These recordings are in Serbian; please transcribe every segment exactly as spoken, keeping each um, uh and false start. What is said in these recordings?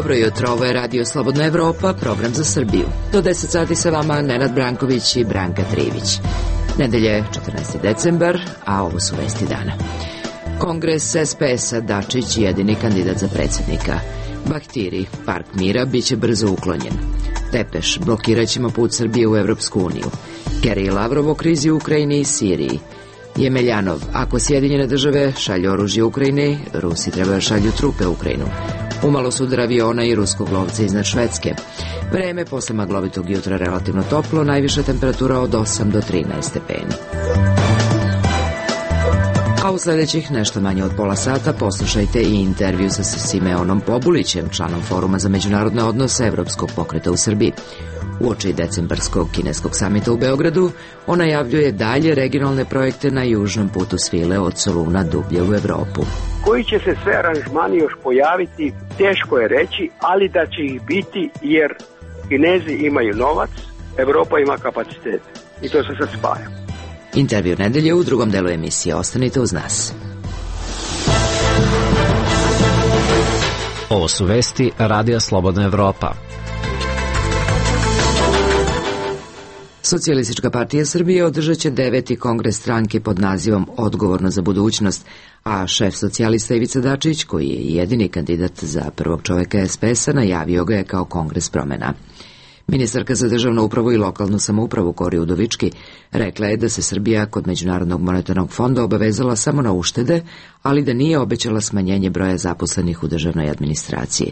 Dobro jutro, ovo je Radio Slobodna Evropa, program za Srbiju. Do deset sati sa vama Nenad Branković i Branka Trivić. Nedelje je četrnaesti decembar, a ovo su vesti dana. Kongres es pe es-a, Dačić jedini kandidat za predsjednika. Bahtiri, Park mira, bit će brzo uklonjen. Tepeš, blokirat ćemo put Srbije u Evropsku uniju. Kerry i Lavrov o krizi u Ukrajini i Siriji. Jemeljanov, ako Sjedinjene države šalju oružje Ukrajini, Rusi treba šalju trupe u Ukrajinu. Umalo sudar aviona i ruskog lovca iznad Švedske. Vreme posle maglovitog jutra relativno toplo, najviša temperatura od osam do trinaest stepeni. A u sljedećih nešto manje od pola sata poslušajte i intervju sa Simeonom Pobulićem, članom Foruma za međunarodne odnose Evropskog pokreta u Srbiji. Uoči decembarskog kineskog samita u Beogradu, on najavljuje dalje regionalne projekte na južnom putu svile od Soluna dublje u Evropu. Koji će se sve aranžmani još pojaviti, teško je reći, ali da će ih biti jer Kinezi imaju novac, Evropa ima kapacitet i to se sad spaja. Intervju nedelje u drugom delu emisije. Ostanite uz nas. Ovo su vesti Radija Slobodna Evropa. Socijalistička partija Srbije održat će deveti kongres stranke pod nazivom Odgovorno za budućnost, a šef socijalista Ivica Dačić, koji je jedini kandidat za prvog čoveka es pe es-a, najavio ga je kao kongres promena. Ministarka za državnu upravu i lokalnu samoupravu Kori Udovički rekla je da se Srbija kod Međunarodnog monetarnog fonda obavezala samo na uštede, ali da nije obećala smanjenje broja zaposlenih u državnoj administraciji.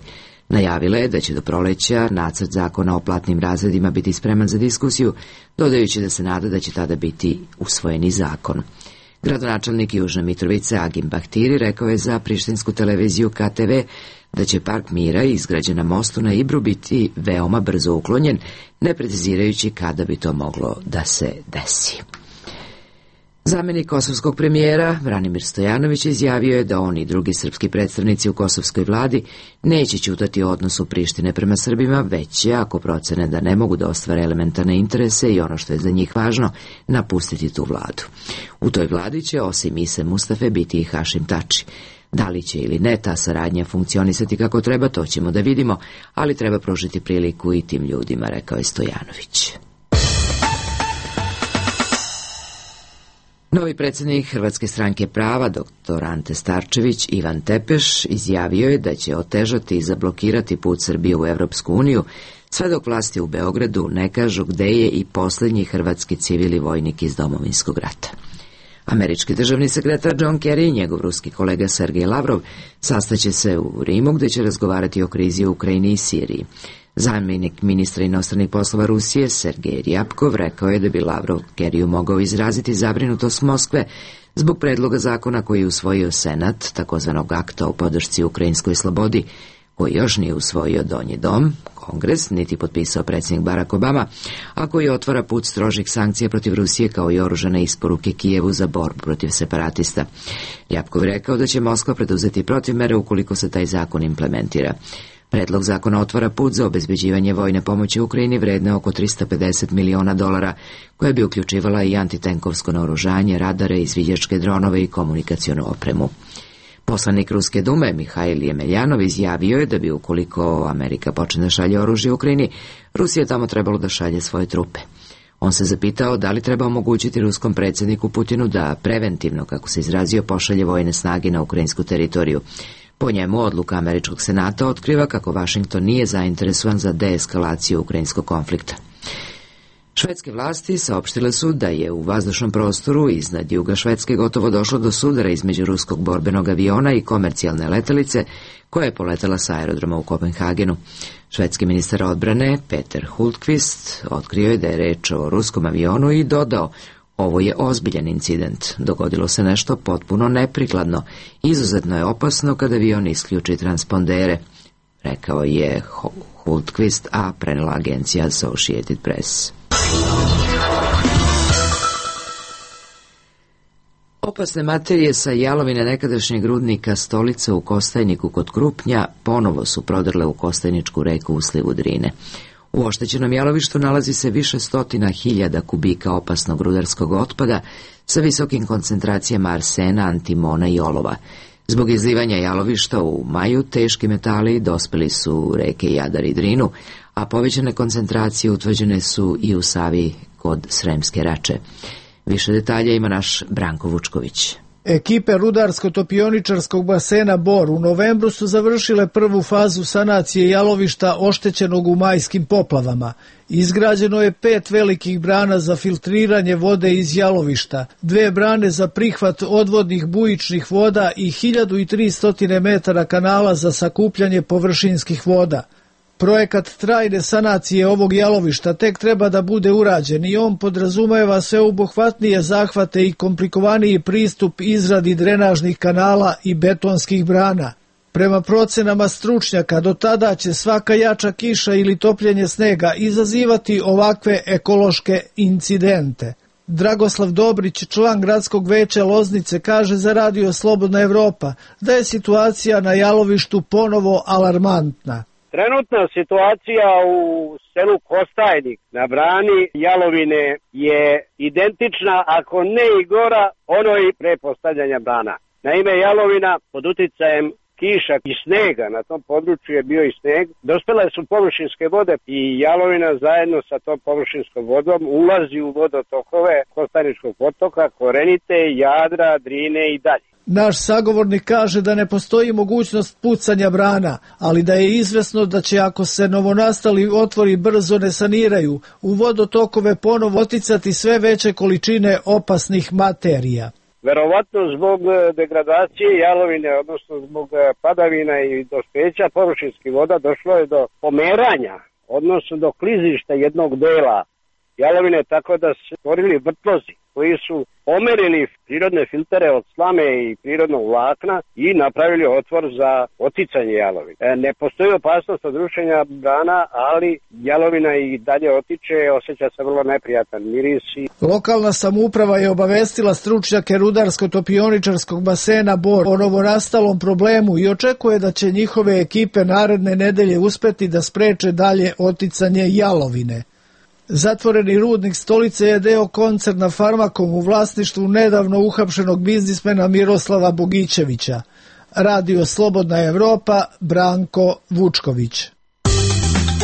Najavila je da će do proleća nacrt zakona o platnim razredima biti spreman za diskusiju, dodajući da se nada da će tada biti usvojeni zakon. Gradonačelnik Južne Mitrovice Agim Bahtiri rekao je za prištinsku televiziju ka te ve da će Park mira izgrađen na mostu na Ibru biti veoma brzo uklonjen, ne precizirajući kada bi to moglo da se desi. Zamenik kosovskog premijera Branimir Stojanović izjavio je da on i drugi srpski predstavnici u kosovskoj vladi neće ćutati o odnosu Prištine prema Srbima, već će, ako procene da ne mogu da ostvare elementarne interese i ono što je za njih važno, napustiti tu vladu. U toj vladi će osim Ise Mustafe biti i Hašim Tači. Da li će ili ne ta saradnja funkcionisati kako treba, to ćemo da vidimo, ali treba pružiti priliku i tim ljudima, rekao je Stojanović. Novi predsjednik Hrvatske stranke prava, doktor Ante Starčević, Ivan Tepeš, izjavio je da će otežati i zablokirati put Srbije u Evropsku uniju, sve dok vlasti u Beogradu ne kažu gde je i posljednji hrvatski civil i vojnik iz Domovinskog rata. Američki državni sekretar John Kerry i njegov ruski kolega Sergej Lavrov sastaće se u Rimu gde će razgovarati o krizi u Ukrajini i Siriji. Zamjenik ministra inostranih poslova Rusije Sergej Rjapkov rekao je da bi Lavrov Kerriju mogao izraziti zabrinutost Moskve zbog predloga zakona koji je usvojio Senat, takozvanog akta o podršci ukrajinskoj slobodi, koji još nije usvojio Donji dom, Kongres, niti potpisao predsjednik Barack Obama, a koji otvara put strožih sankcija protiv Rusije kao i oružane isporuke Kijevu za borbu protiv separatista. Rjapkov rekao da će Moskva preduzeti protivmere ukoliko se taj zakon implementira. Predlog zakona otvara put za obezbeđivanje vojne pomoći Ukrajini vredne oko tristo pedeset miliona dolara, koja bi uključivala i antitenkovsko naoružanje, radare, izviđačke dronove i komunikacionu opremu. Poslanik Ruske dume Mihajl Jemeljanov izjavio je da bi ukoliko Amerika počne da šalje oružje Ukrajini, Rusija tamo trebalo da šalje svoje trupe. On se zapitao da li treba omogućiti ruskom predsjedniku Putinu da preventivno, kako se izrazio, pošalje vojne snage na ukrajinsku teritoriju. Po njemu odluka Američkog senata otkriva kako Vašington nije zainteresovan za deeskalaciju ukrajinskog konflikta. Švedske vlasti saopštile su da je u vazdušnom prostoru iznad juga Švedske gotovo došlo do sudara između ruskog borbenog aviona i komercijalne letelice koja je poletela sa aerodroma u Kopenhagenu. Švedski ministar odbrane Peter Hultqvist otkrio je da je reč o ruskom avionu i dodao: ovo je ozbiljan incident. Dogodilo se nešto potpuno neprikladno. Izuzetno je opasno kada avion isključi transpondere, rekao je Hultqvist, a prenela agencija Associated Press. Opasne materije sa jalovine nekadašnjeg rudnika Stolica u Kostajniku kod Krupnja ponovo su prodrle u Kostajničku reku u slivu Drine. U oštećenom jalovištu nalazi se više stotina hiljada kubika opasnog rudarskog otpada sa visokim koncentracijama arsena, antimona i olova. Zbog izlivanja jalovišta u maju teški metali dospeli su u reke Jadar i Drinu, a povećane koncentracije utvrđene su i u Savi kod Sremske Rače. Više detalja ima naš Branko Vučković. Ekipe rudarsko-topioničarskog basena Bor u novembru su završile prvu fazu sanacije jalovišta oštećenog u majskim poplavama. Izgrađeno je pet velikih brana za filtriranje vode iz jalovišta, dve brane za prihvat odvodnih bujičnih voda i hiljadu tristo metara kanala za sakupljanje površinskih voda. Projekat trajne sanacije ovog jalovišta tek treba da bude urađen i on podrazumeva sveobuhvatnije zahvate i komplikovaniji pristup izradi drenažnih kanala i betonskih brana. Prema procenama stručnjaka, do tada će svaka jača kiša ili topljenje snega izazivati ovakve ekološke incidente. Dragoslav Dobrić, član gradskog veća Loznice, kaže za Radio Slobodna Evropa da je situacija na jalovištu ponovo alarmantna. Trenutna situacija u selu Kostajnik na brani Jalovine je identična, ako ne i gora, onoj pre postavljanja brana. Naime, Jalovina pod uticajem kiša i snega, na tom području je bio i sneg, dospele su površinske vode i Jalovina zajedno sa tom površinskom vodom ulazi u vodotokove Kostajničkog potoka, Korenite, Jadra, Drine i dalje. Naš sagovornik kaže da ne postoji mogućnost pucanja brana, ali da je izvesno da će, ako se novonastali otvori brzo ne saniraju, u vodotokove ponovo oticati sve veće količine opasnih materija. Verovatno zbog degradacije Jalovine, odnosno zbog padavina i dospeća površinskih voda, došlo je do pomeranja, odnosno do klizišta jednog dela Jalovine, tako da su stvorili vrtlozi koji su pomerili prirodne filtere od slame i prirodnog vlakna i napravili otvor za oticanje jalovine. E, ne postoji opasnost od rušenja brana, ali jalovina i dalje otiče, osjeća se vrlo neprijatan miris. Lokalna samouprava je obavestila stručnjake rudarsko-topioničarskog basena Bor o novonastalom problemu i očekuje da će njihove ekipe naredne nedelje uspeti da spreče dalje oticanje jalovine. Zatvoreni rudnik Stolice je deo koncerna Farmakom u vlasništvu nedavno uhapšenog biznismena Miroslava Bogićevića. Radio Slobodna Evropa, Branko Vučković.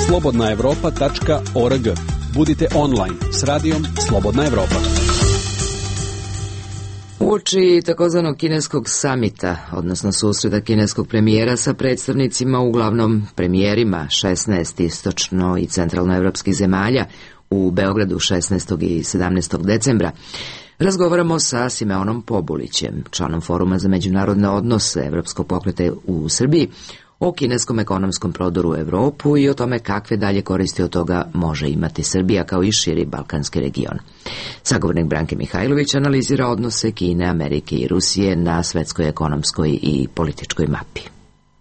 slobodna evropa tačka org. Budite online s radijom Slobodna Evropa. Uoči takozvanog kineskog samita, odnosno susreta kineskog premijera sa predstavnicima, uglavnom premijerima šesnaest istočno i centralnoevropskih zemalja u Beogradu šesnaestog i sedamnaestog decembra, razgovaramo sa Simeonom Pobulićem, članom Foruma za međunarodne odnose Evropskog pokreta u Srbiji, o kineskom ekonomskom prodoru u Evropu i o tome kakve dalje koristi od toga može imati Srbija kao i širi balkanski region. Sagovornik Branke Mihajlović analizira odnose Kine, Amerike i Rusije na svetskoj ekonomskoj i političkoj mapi.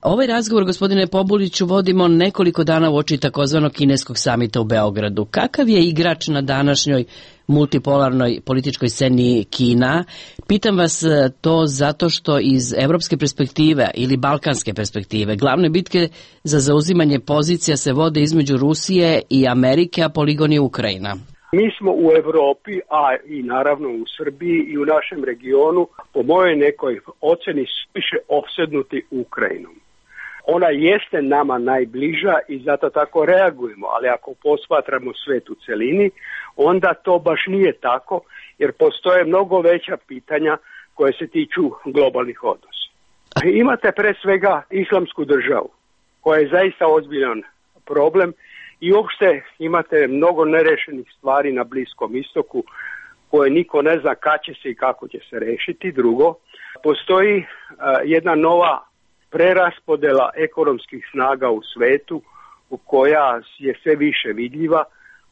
Ovaj razgovor, gospodine Pobuliću, vodimo nekoliko dana uoči takozvanog kineskog samita u Beogradu. Kakav je igrač na današnjoj multipolarnoj političkoj sceni Kina? Pitam vas to zato što iz evropske perspektive ili balkanske perspektive glavne bitke za zauzimanje pozicija se vode između Rusije i Amerike, a poligon je Ukrajina. Mi smo u Evropi, a i naravno u Srbiji i u našem regionu, po mojoj nekoj oceni, više opsednuti Ukrajinom. Ona jeste nama najbliža i zato tako reagujemo, ali ako posmatramo svet u celini, onda to baš nije tako, jer postoje mnogo veća pitanja koje se tiču globalnih odnosa. Imate pre svega islamsku državu, koja je zaista ozbiljan problem i uopšte imate mnogo nerešenih stvari na Bliskom istoku koje niko ne zna kad će se i kako će se rešiti. Drugo, postoji uh, jedna nova preraspodela ekonomskih snaga u svetu koja je sve više vidljiva,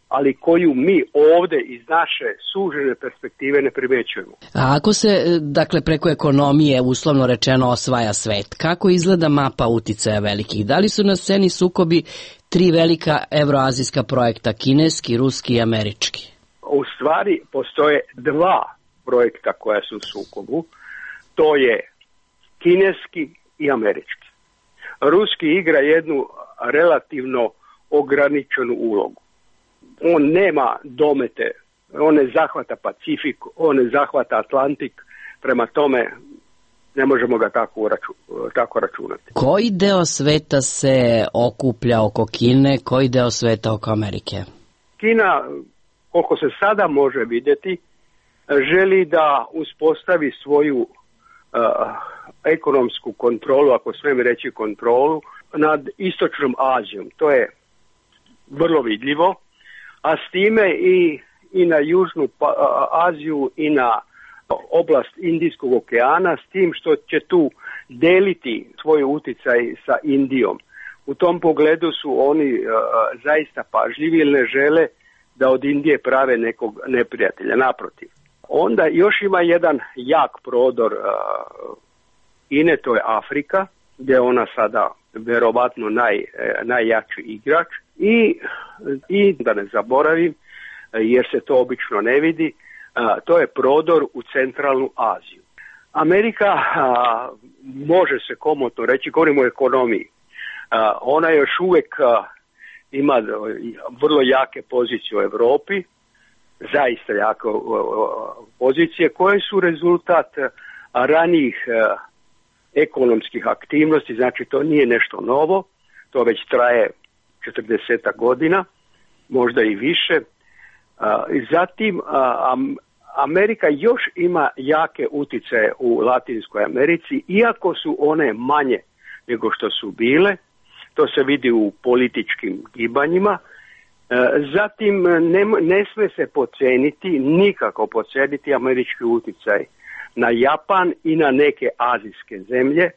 ali koju mi ovde iz naše sužene perspektive ne primećujemo. A ako se, dakle, preko ekonomije, uslovno rečeno, osvaja svet, kako izgleda mapa uticaja velikih? Da li su na sceni sukobi tri velika evroazijska projekta, kineski, ruski i američki? U stvari postoje dva projekta koja su u sukobu. To je kineski i američki. Ruski igra jednu relativno ograničenu ulogu. On nema domete, on ne zahvata Pacifik, on ne zahvata Atlantik, prema tome ne možemo ga tako, raču, tako računati. Koji deo sveta se okuplja oko Kine, koji deo sveta oko Amerike? Kina, koliko se sada može vidjeti, želi da uspostavi svoju uh, ekonomsku kontrolu, ako smijem reći kontrolu, nad istočnom Azijom. To je vrlo vidljivo, a s time i, i na južnu Aziju i na oblast Indijskog okeana, s tim što će tu deliti svoj utjecaj sa Indijom. U tom pogledu su oni uh, zaista pažljivi jer ne žele da od Indije prave nekog neprijatelja, naprotiv. Onda još ima jedan jak prodor uh, Kine, to je Afrika, gdje je ona sada vjerovatno naj, najjači igrač i, i da ne zaboravim, jer se to obično ne vidi, uh, to je prodor u centralnu Aziju. Amerika, uh, može se komotno reći, govorimo o ekonomiji, uh, ona još uvijek uh, ima vrlo jake pozicije u Europi, zaista jake pozicije koje su rezultat ranijih ekonomskih aktivnosti, znači to nije nešto novo, to već traje četrdeset godina, možda i više. Zatim Amerika još ima jake utjecaje u Latinskoj Americi, iako su one manje nego što su bile. To se vidi u političkim gibanjima. Zatim ne, ne sme se podceniti, nikako podceniti američki utjecaj na Japan i na neke azijske zemlje,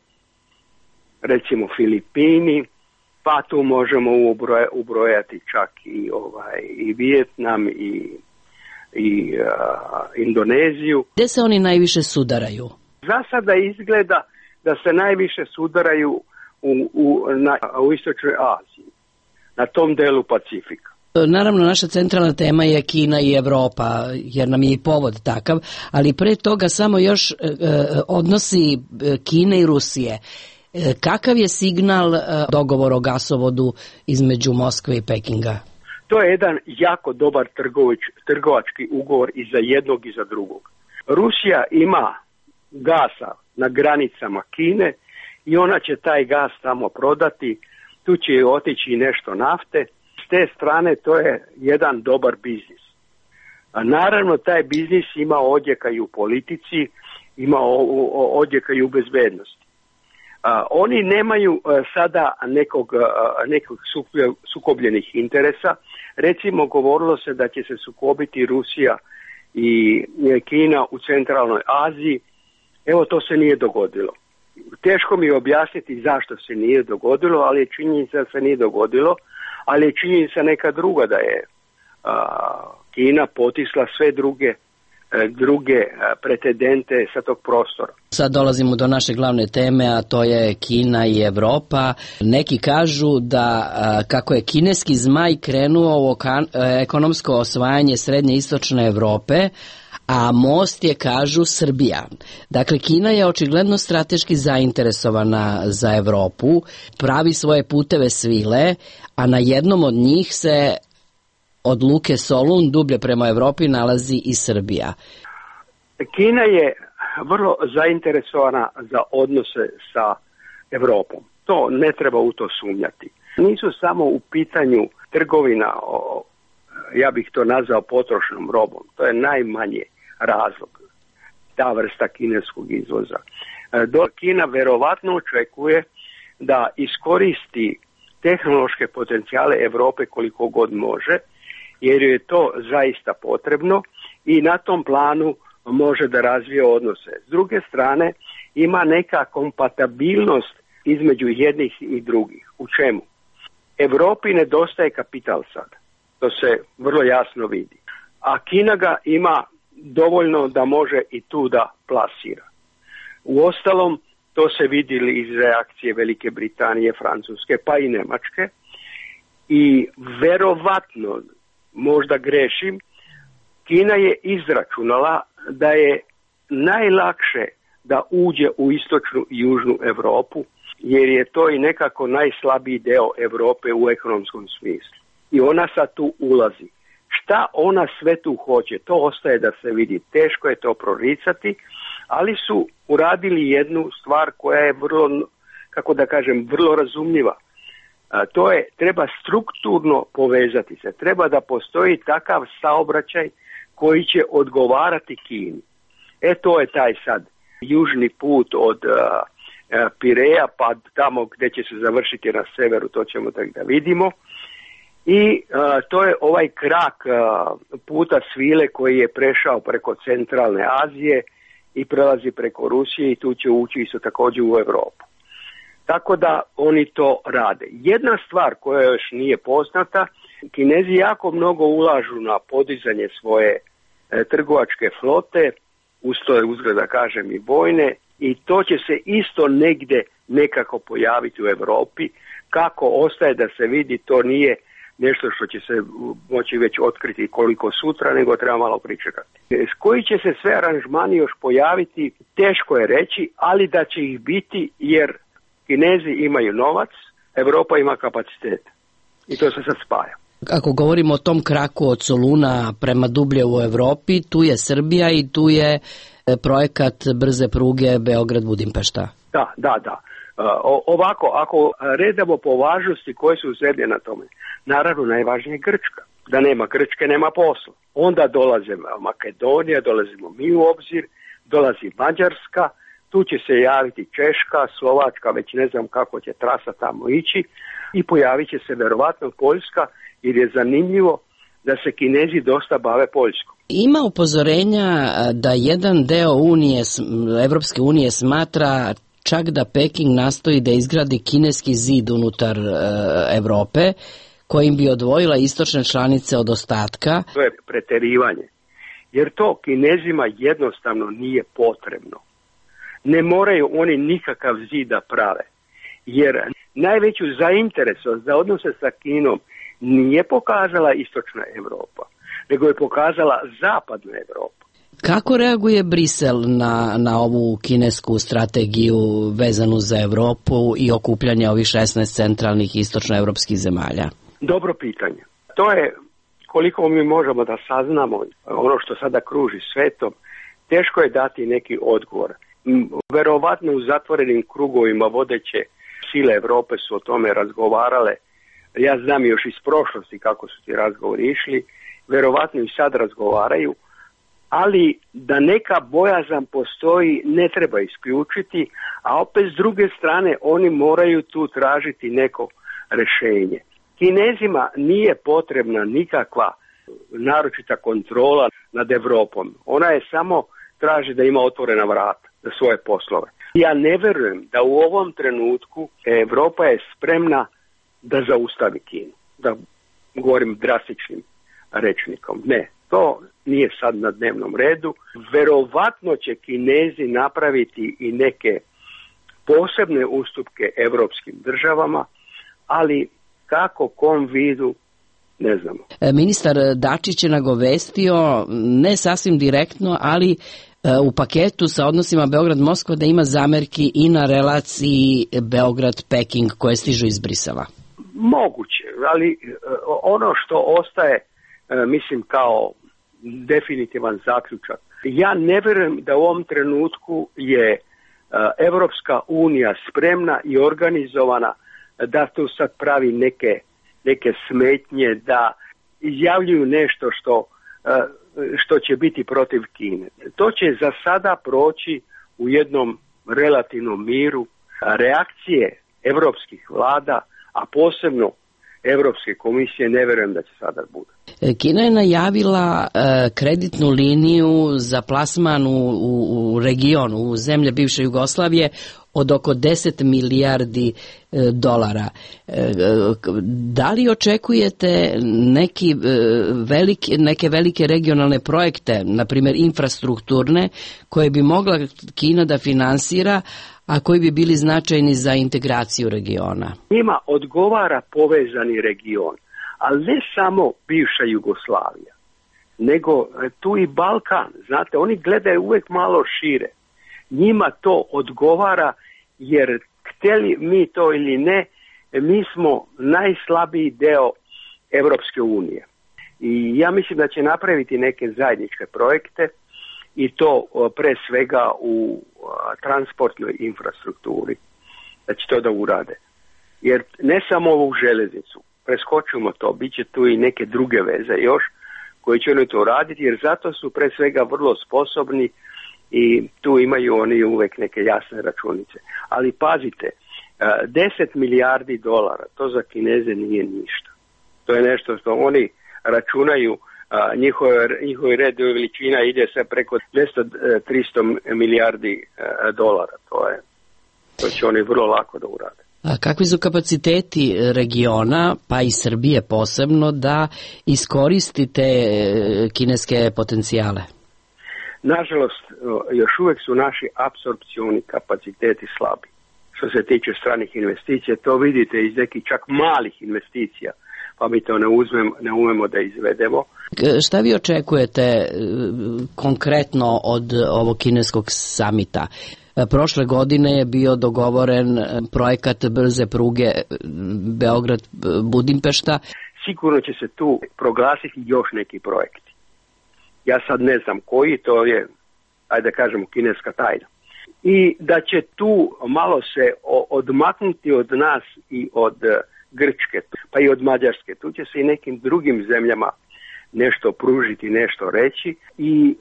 recimo Filipini, pa tu možemo ubroja, ubrojati čak i, ovaj, i Vijetnam i, i uh, Indoneziju. Gdje se oni najviše sudaraju? Za sada izgleda da se najviše sudaraju U, u, na, u istočnoj Aziji, na tom delu Pacifika. Naravno, naša centralna tema je Kina i Evropa, jer nam je i povod takav, ali pre toga samo još e, odnosi Kine i Rusije. E, kakav je signal e, dogovor o gasovodu između Moskve i Pekinga? To je jedan jako dobar trgovič, trgovački ugovor i za jednog i za drugog. Rusija ima gasa na granicama Kine i ona će taj gas tamo prodati, tu će otići nešto nafte. S te strane to je jedan dobar biznis. A naravno taj biznis ima odjeka i u politici, ima odjeka i u bezbednosti. A, oni nemaju a, sada nekog, a, nekog sukobljenih interesa. Recimo govorilo se da će se sukobiti Rusija i Kina u centralnoj Aziji. Evo to se nije dogodilo. Teško mi je objasniti zašto se nije dogodilo, ali je činjenica da se nije dogodilo, ali je činjenica neka druga, da je a, Kina potisla sve druge, a, druge a, pretendente sa tog prostora. Sad dolazimo do naše glavne teme, a to je Kina i Evropa. Neki kažu da a, kako je kineski zmaj krenuo u okan, a, ekonomsko osvajanje srednje istočne Evrope, a most je, kažu, Srbija. Dakle, Kina je očigledno strateški zainteresovana za Evropu, pravi svoje puteve svile, a na jednom od njih se od luke Solun dublje prema Evropi nalazi i Srbija. Kina je vrlo zainteresovana za odnose sa Evropom. To ne treba u to sumnjati. Nisu samo u pitanju trgovina, o, ja bih to nazvao potrošnom robom. To je najmanje razlog, ta vrsta kineskog izvoza. Do Kina verovatno očekuje da iskoristi tehnološke potencijale Europe koliko god može, jer je to zaista potrebno i na tom planu može da razvije odnose. S druge strane, ima neka kompatibilnost između jednih i drugih. U čemu? Europi nedostaje kapital sad. To se vrlo jasno vidi. A Kina ga ima dovoljno da može i tu da plasira. Uostalom, to se vidjeli iz reakcije Velike Britanije, Francuske, pa i Nemačke. I verovatno, možda grešim, Kina je izračunala da je najlakše da uđe u istočnu i južnu Europu, jer je to i nekako najslabiji deo Europe u ekonomskom smislu. I ona sad tu ulazi. Šta ona sve tu hoće, to ostaje da se vidi. Teško je to proricati, ali su uradili jednu stvar koja je vrlo, kako da kažem, vrlo razumljiva. A, to je, treba strukturno povezati se, treba da postoji takav saobraćaj koji će odgovarati Kini. E to je taj sad južni put od a, a, Pireja pa tamo gdje će se završiti na severu, to ćemo tako da vidimo. I a, to je ovaj krak a, puta svile koji je prešao preko centralne Azije i prelazi preko Rusije i tu će ući isto također u Europu. Tako da oni to rade. Jedna stvar koja još nije poznata, Kinezi jako mnogo ulažu na podizanje svoje e, trgovačke flote, uz to je uzgled da kažem i vojne, i to će se isto negdje nekako pojaviti u Europi. Kako ostaje da se vidi, to nije nešto što će se moći već otkriti koliko sutra, nego treba malo pričekati. S koji će se sve aranžmani još pojaviti, teško je reći, ali da će ih biti jer Kinezi imaju novac, Europa ima kapacitet. I to se sad spaja. Ako govorimo o tom kraku od Soluna prema dublje u Europi, tu je Srbija i tu je projekat brze pruge Beograd-Budimpešta. Da, da, da. O, ovako, ako redamo po važnosti koje su zemlje na tome, naravno najvažnije je Grčka. Da nema Grčke, nema posla. Onda dolaze Makedonija, dolazimo mi u obzir, dolazi Mađarska, tu će se javiti Češka, Slovačka, već ne znam kako će trasa tamo ići, i pojavit će se verovatno Poljska, jer je zanimljivo da se Kinezi dosta bave Poljskom. Ima upozorenja da jedan deo unije, Evropske unije smatra čak da Peking nastoji da izgradi kineski zid unutar e, Evrope, kojim bi odvojila istočne članice od ostatka. To je preterivanje, jer to Kinezima jednostavno nije potrebno. Ne moraju oni nikakav zid da prave, jer najveću zainteresovanost za odnose sa Kinom nije pokazala istočna Evropa, nego je pokazala zapadna Evropa. Kako reaguje Brisel na, na ovu kinesku strategiju vezanu za Evropu i okupljanje ovih šesnaest centralnih istočnoevropskih zemalja? Dobro pitanje. To je, koliko mi možemo da saznamo ono što sada kruži svetom, teško je dati neki odgovor. Verovatno u zatvorenim krugovima vodeće sile Evrope su o tome razgovarale. Ja znam još iz prošlosti kako su ti razgovori išli. Verovatno i sad razgovaraju. Ali da neka bojazan postoji ne treba isključiti, a opet s druge strane oni moraju tu tražiti neko rješenje. Kinezima nije potrebna nikakva naročita kontrola nad Evropom. Ona je samo traži da ima otvorena vrata za svoje poslove. Ja ne verujem da u ovom trenutku Evropa je spremna da zaustavi Kinu. Da govorim drastičnim rečnikom. Ne, to nije sad na dnevnom redu. Verovatno će Kinezi napraviti i neke posebne ustupke evropskim državama, ali kako, kom vidu, ne znamo. Ministar Dačić je nagovestio, ne sasvim direktno, ali u paketu sa odnosima Beograd-Moskva da ima zamerki i na relaciji Beograd-Peking koje stižu iz Brisela. Moguće, ali ono što ostaje, mislim, kao definitivan zaključak. Ja ne vjerujem da u ovom trenutku je Evropska unija spremna i organizovana da tu sad pravi neke, neke smetnje, da izjavljuju nešto što, što će biti protiv Kine. To će za sada proći u jednom relativnom miru. Reakcije evropskih vlada, a posebno Evropske komisije, ne vjerujem da će sada bude. Kina je najavila e, kreditnu liniju za plasman u, u, u regionu, u zemlje bivše Jugoslavije od oko deset milijardi e, dolara. E, da li očekujete neki, e, veliki, neke velike regionalne projekte, na primjer infrastrukturne, koje bi mogla Kina da finansira, a koji bi bili značajni za integraciju regiona? Njima odgovara povezani region, ali ne samo bivša Jugoslavija, nego tu i Balkan. Znate, oni gledaju uvijek malo šire. Njima to odgovara jer htjeli mi to ili ne, mi smo najslabiji deo Evropske unije. I ja mislim da će napraviti neke zajedničke projekte i to pre svega u transportnoj infrastrukturi, da će to da urade. Jer ne samo ovu železnicu, preskočimo to, bit će tu i neke druge veze još koji će oni to raditi, jer zato su pre svega vrlo sposobni i tu imaju oni uvek neke jasne računice. Ali pazite, deset milijardi dolara, to za Kineze nije ništa. To je nešto što oni računaju, njihove, njihove red veličina ide sve preko dvesta do trista milijardi dolara. To je, to će oni vrlo lako da urade. A kakvi su kapaciteti regiona, pa i Srbije posebno, da iskoristite kineske potencijale? Nažalost, još uvek su naši apsorpcioni kapaciteti slabi. Što se tiče stranih investicija, to vidite iz nekih čak malih investicija, pa mi to ne, uzmem, ne umemo da izvedemo. Šta vi očekujete konkretno od ovog kineskog samita? Prošle godine je bio dogovoren projekat brze pruge Beograd-Budimpešta. Sigurno će se tu proglasiti još neki projekti. Ja sad ne znam koji, to je, ajde da kažemo, kineska tajna. I da će tu malo se odmaknuti od nas i od Grčke, pa i od Mađarske. Tu će se i nekim drugim zemljama nešto pružiti, nešto reći. I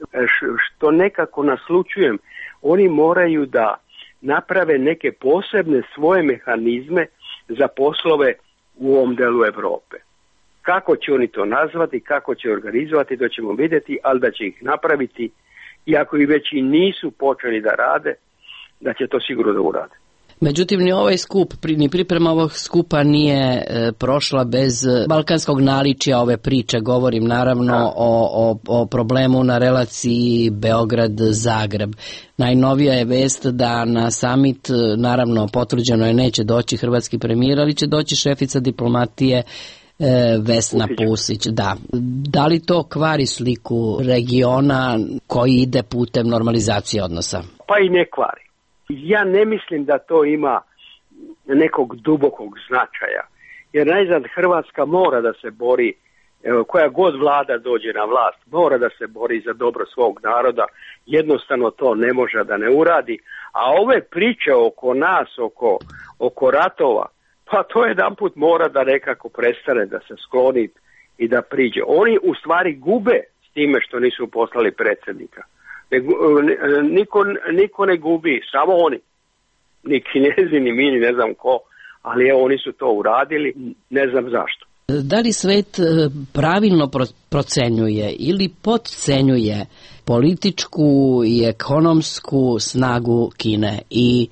što nekako naslučujem, oni moraju da naprave neke posebne svoje mehanizme za poslove u ovom delu Evrope. Kako će oni to nazvati, kako će organizovati, to ćemo vidjeti, ali da će ih napraviti, iako i već i nisu počeli da rade, da će to sigurno da urade. Međutim, ni ovaj skup, ni priprema ovog skupa nije e, prošla bez balkanskog naličja ove priče. Govorim naravno o, o, o problemu na relaciji Beograd-Zagreb. Najnovija je vest da na summit, naravno potvrđeno je, neće doći hrvatski premijer, ali će doći šefica diplomatije e, Vesna Pusić. Pusić. Da. Da li to kvari sliku regiona koji ide putem normalizacije odnosa? Pa i ne kvari. Ja ne mislim da to ima nekog dubokog značaja, jer najzad Hrvatska mora da se bori, koja god vlada dođe na vlast, mora da se bori za dobro svog naroda, jednostavno to ne može da ne uradi, a ove priče oko nas, oko, oko ratova, pa to jedan put mora da nekako prestane, da se skloni i da priđe. Oni u stvari gube s time što nisu poslali predsjednika. Niko, niko ne gubi, samo oni. Ni Kinezi, ni mi, ni ne znam ko, ali evo oni su to uradili, ne znam zašto. Da li svet pravilno procenjuje ili podcenjuje političku i ekonomsku snagu Kine i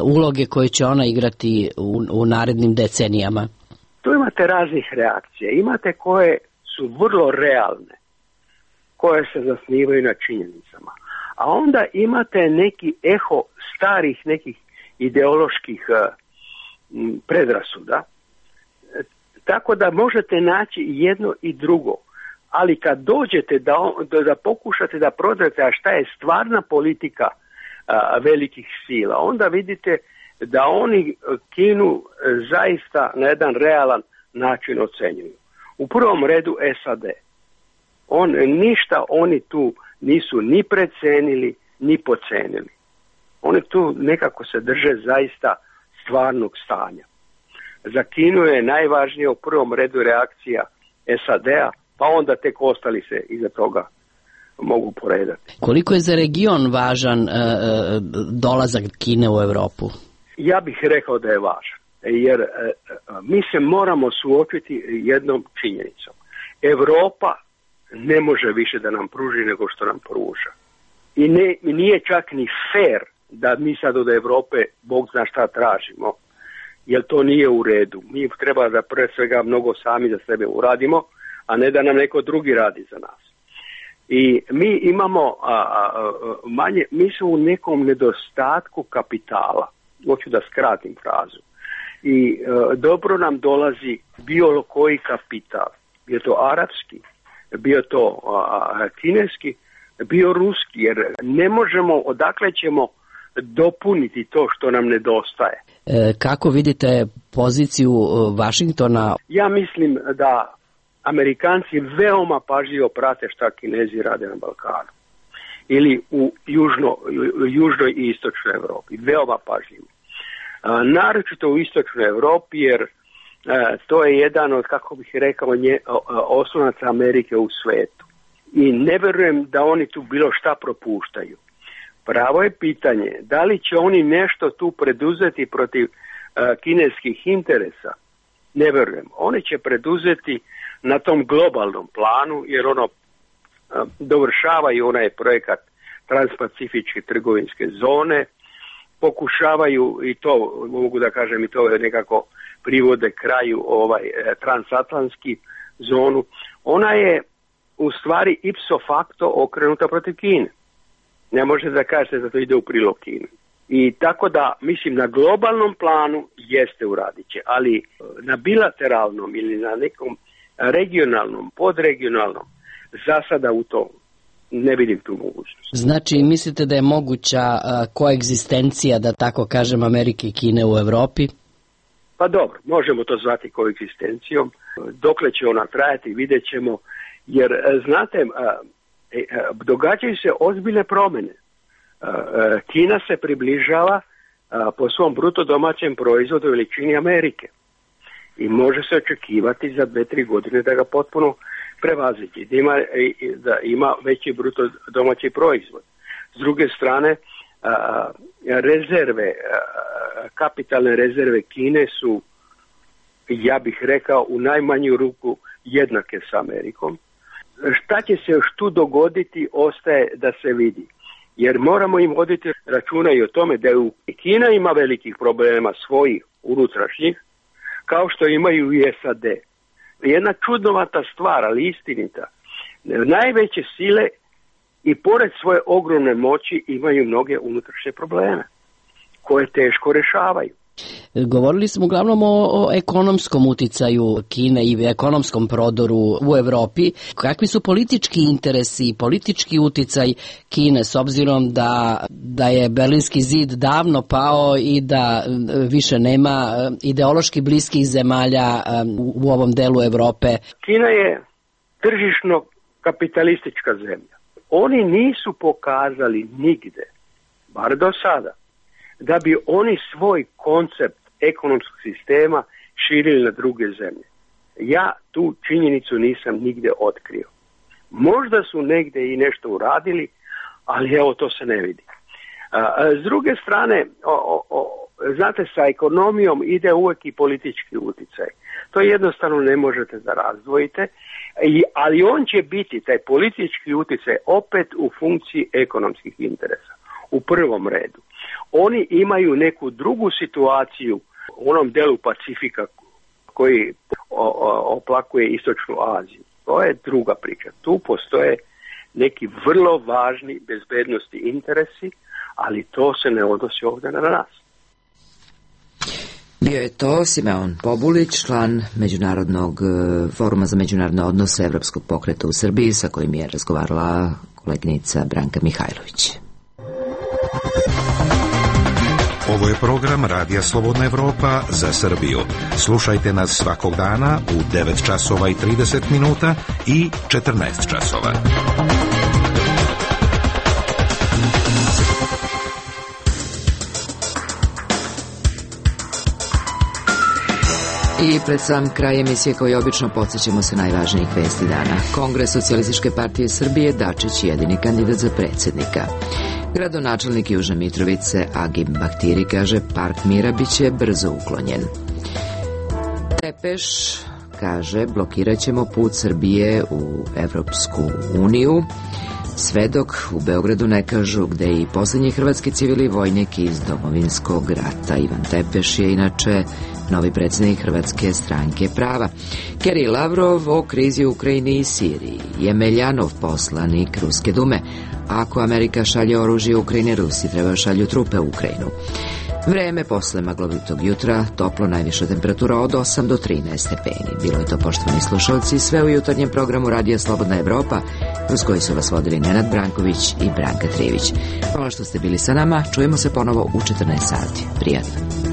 uloge koje će ona igrati u, u narednim decenijama? Tu imate raznih reakcija. Imate koje su vrlo realne, koje se zasnivaju na činjenicama. A onda imate neki eho starih nekih ideoloških uh, predrasuda, tako da možete naći jedno i drugo. Ali kad dođete da, da, da pokušate da prodate, a šta je stvarna politika uh, velikih sila, onda vidite da oni Kinu zaista na jedan realan način ocenjuju. U prvom redu S A D. On, ništa oni tu nisu ni precenili, ni pocenili. Oni tu nekako se drže zaista stvarnog stanja. Za Kinu je najvažnije u prvom redu reakcija S A D-a, pa onda tek ostali se iza toga mogu poredati. Koliko je za region važan e, dolazak Kine u Evropu? Ja bih rekao da je važan, jer e, mi se moramo suočiti jednom činjenicom. Evropa ne može više da nam pruži nego što nam pruža. I ne, nije čak ni fair da mi sad od Evrope Bog zna šta tražimo, jer to nije u redu. Mi treba da pre svega mnogo sami za sebe uradimo, a ne da nam neko drugi radi za nas. I mi imamo a, a, manje, mi smo u nekom nedostatku kapitala. Hoću da skratim frazu. I a, dobro nam dolazi bilo koji kapital. Bio to arapski, bio to a, kineski, bio ruski, jer ne možemo, odakle ćemo dopuniti to što nam nedostaje. E, kako vidite poziciju Vašingtona? Ja mislim da Amerikanci veoma pažljivo prate šta Kinezi rade na Balkanu. ili u južno, južnoj i istočnoj Europi. Veoma pažljivo. A, naročito u istočnoj Europi, jer a, to je jedan od, kako bih rekao, nje, a, oslonaca Amerike u svetu. I ne verujem da oni tu bilo šta propuštaju. Pravo je pitanje, da li će oni nešto tu preduzeti protiv a, kineskih interesa? Ne verujem. Oni će preduzeti na tom globalnom planu, jer ono a, dovršavaju onaj projekat Transpacifičke trgovinske zone, pokušavaju i to, mogu da kažem i to nekako privode kraju ovaj transatlantski zonu. Ona je u stvari ipso facto okrenuta protiv Kine. Ne možete da kažete da to ide u prilog Kine. I tako da, mislim, na globalnom planu jeste uradit će, ali na bilateralnom ili na nekom regionalnom, podregionalnom, za sada u to ne vidim tu mogućnost. Znači, mislite da je moguća uh, koegzistencija, da tako kažem, Amerike i Kine u Evropi? Pa dobro, možemo to zvati koegzistencijom. Dokle će ona trajati, vidjet ćemo. Jer, znate, događaju se ozbiljne promjene. Kina se približava po svom bruto domaćem proizvodu veličini Amerike. I može se očekivati za dve, tri godine da ga potpuno prevazići, da ima, da ima veći bruto domaći proizvod. S druge strane, rezerve, kapitalne rezerve Kine su, ja bih rekao, u najmanju ruku jednake s Amerikom. Šta će se još tu dogoditi, ostaje da se vidi. Jer moramo im voditi računa i o tome da u Kina ima velikih problema svojih unutrašnjih, kao što imaju i S A D. Jedna čudnovata stvar, ali istinita. Najveće sile i pored svoje ogromne moći imaju mnoge unutrašnje probleme koje teško rešavaju. Govorili smo uglavnom o, o ekonomskom uticaju Kine i ekonomskom prodoru u Evropi. Kakvi su politički interesi i politički uticaj Kine s obzirom da, da je Berlinski zid davno pao i da više nema ideološki bliskih zemalja u, u ovom delu Evrope? Kina je tržišno kapitalistička zemlja. Oni nisu pokazali nigde, bar do sada, da bi oni svoj koncept ekonomskog sistema širili na druge zemlje. Ja tu činjenicu nisam nigde otkrio. Možda su negde i nešto uradili, ali evo to se ne vidi. A, s druge strane, o, o, o, znate, sa ekonomijom ide uvek i politički uticaj. To jednostavno ne možete da razdvojite, i, ali on će biti, taj politički uticaj, opet u funkciji ekonomskih interesa. U prvom redu. Oni imaju neku drugu situaciju u onom delu Pacifika koji o, o, oplakuje Istočnu Aziju. To je druga priča. Tu postoje neki vrlo važni bezbednosti interesi, ali to se ne odnosi ovdje na nas. Bio je to Simeon Pobulić, član Međunarodnog foruma za međunarodne odnose Evropskog pokreta u Srbiji, sa kojim je razgovarala koleginica Branka Mihajlović. Ovo je program Radija Slobodna Evropa za Srbiju. Slušajte nas svakog dana u devet časova i trideset minuta i četrnaest časova. I pred sam kraj emisije, kao i obično, podsjećamo se najvažnijih vesti dana. Kongres Socijalističke partije Srbije, Dačić jedini kandidat za predsjednika. Gradonačelnik Južne Mitrovice Agim Bahtiri kaže park mira biće brzo uklonjen. Tepeš kaže blokirat ćemo put Srbije u Evropsku uniju, sve dok u Beogradu ne kažu gde i posljednji hrvatski civili vojnik iz Domovinskog rata. Ivan Tepeš je inače novi predsjednik Hrvatske stranke prava. Kerry Lavrov o krizi u Ukrajini i Siriji. Jemeljanov poslanik Ruske dume. Ako Amerika šalje oružje u Ukrajini, Rusi treba šalju trupe u Ukrajinu. Vreme posle maglovitog jutra, toplo, najviša temperatura od osam do trinaest stepeni. Bilo je to, poštovani slušalci, sve u jutarnjem programu Radija Slobodna Evropa, uz koji su vas vodili Nenad Branković i Branka Trijević. Hvala što ste bili sa nama, čujemo se ponovo u četrnaest sati. Prijatno.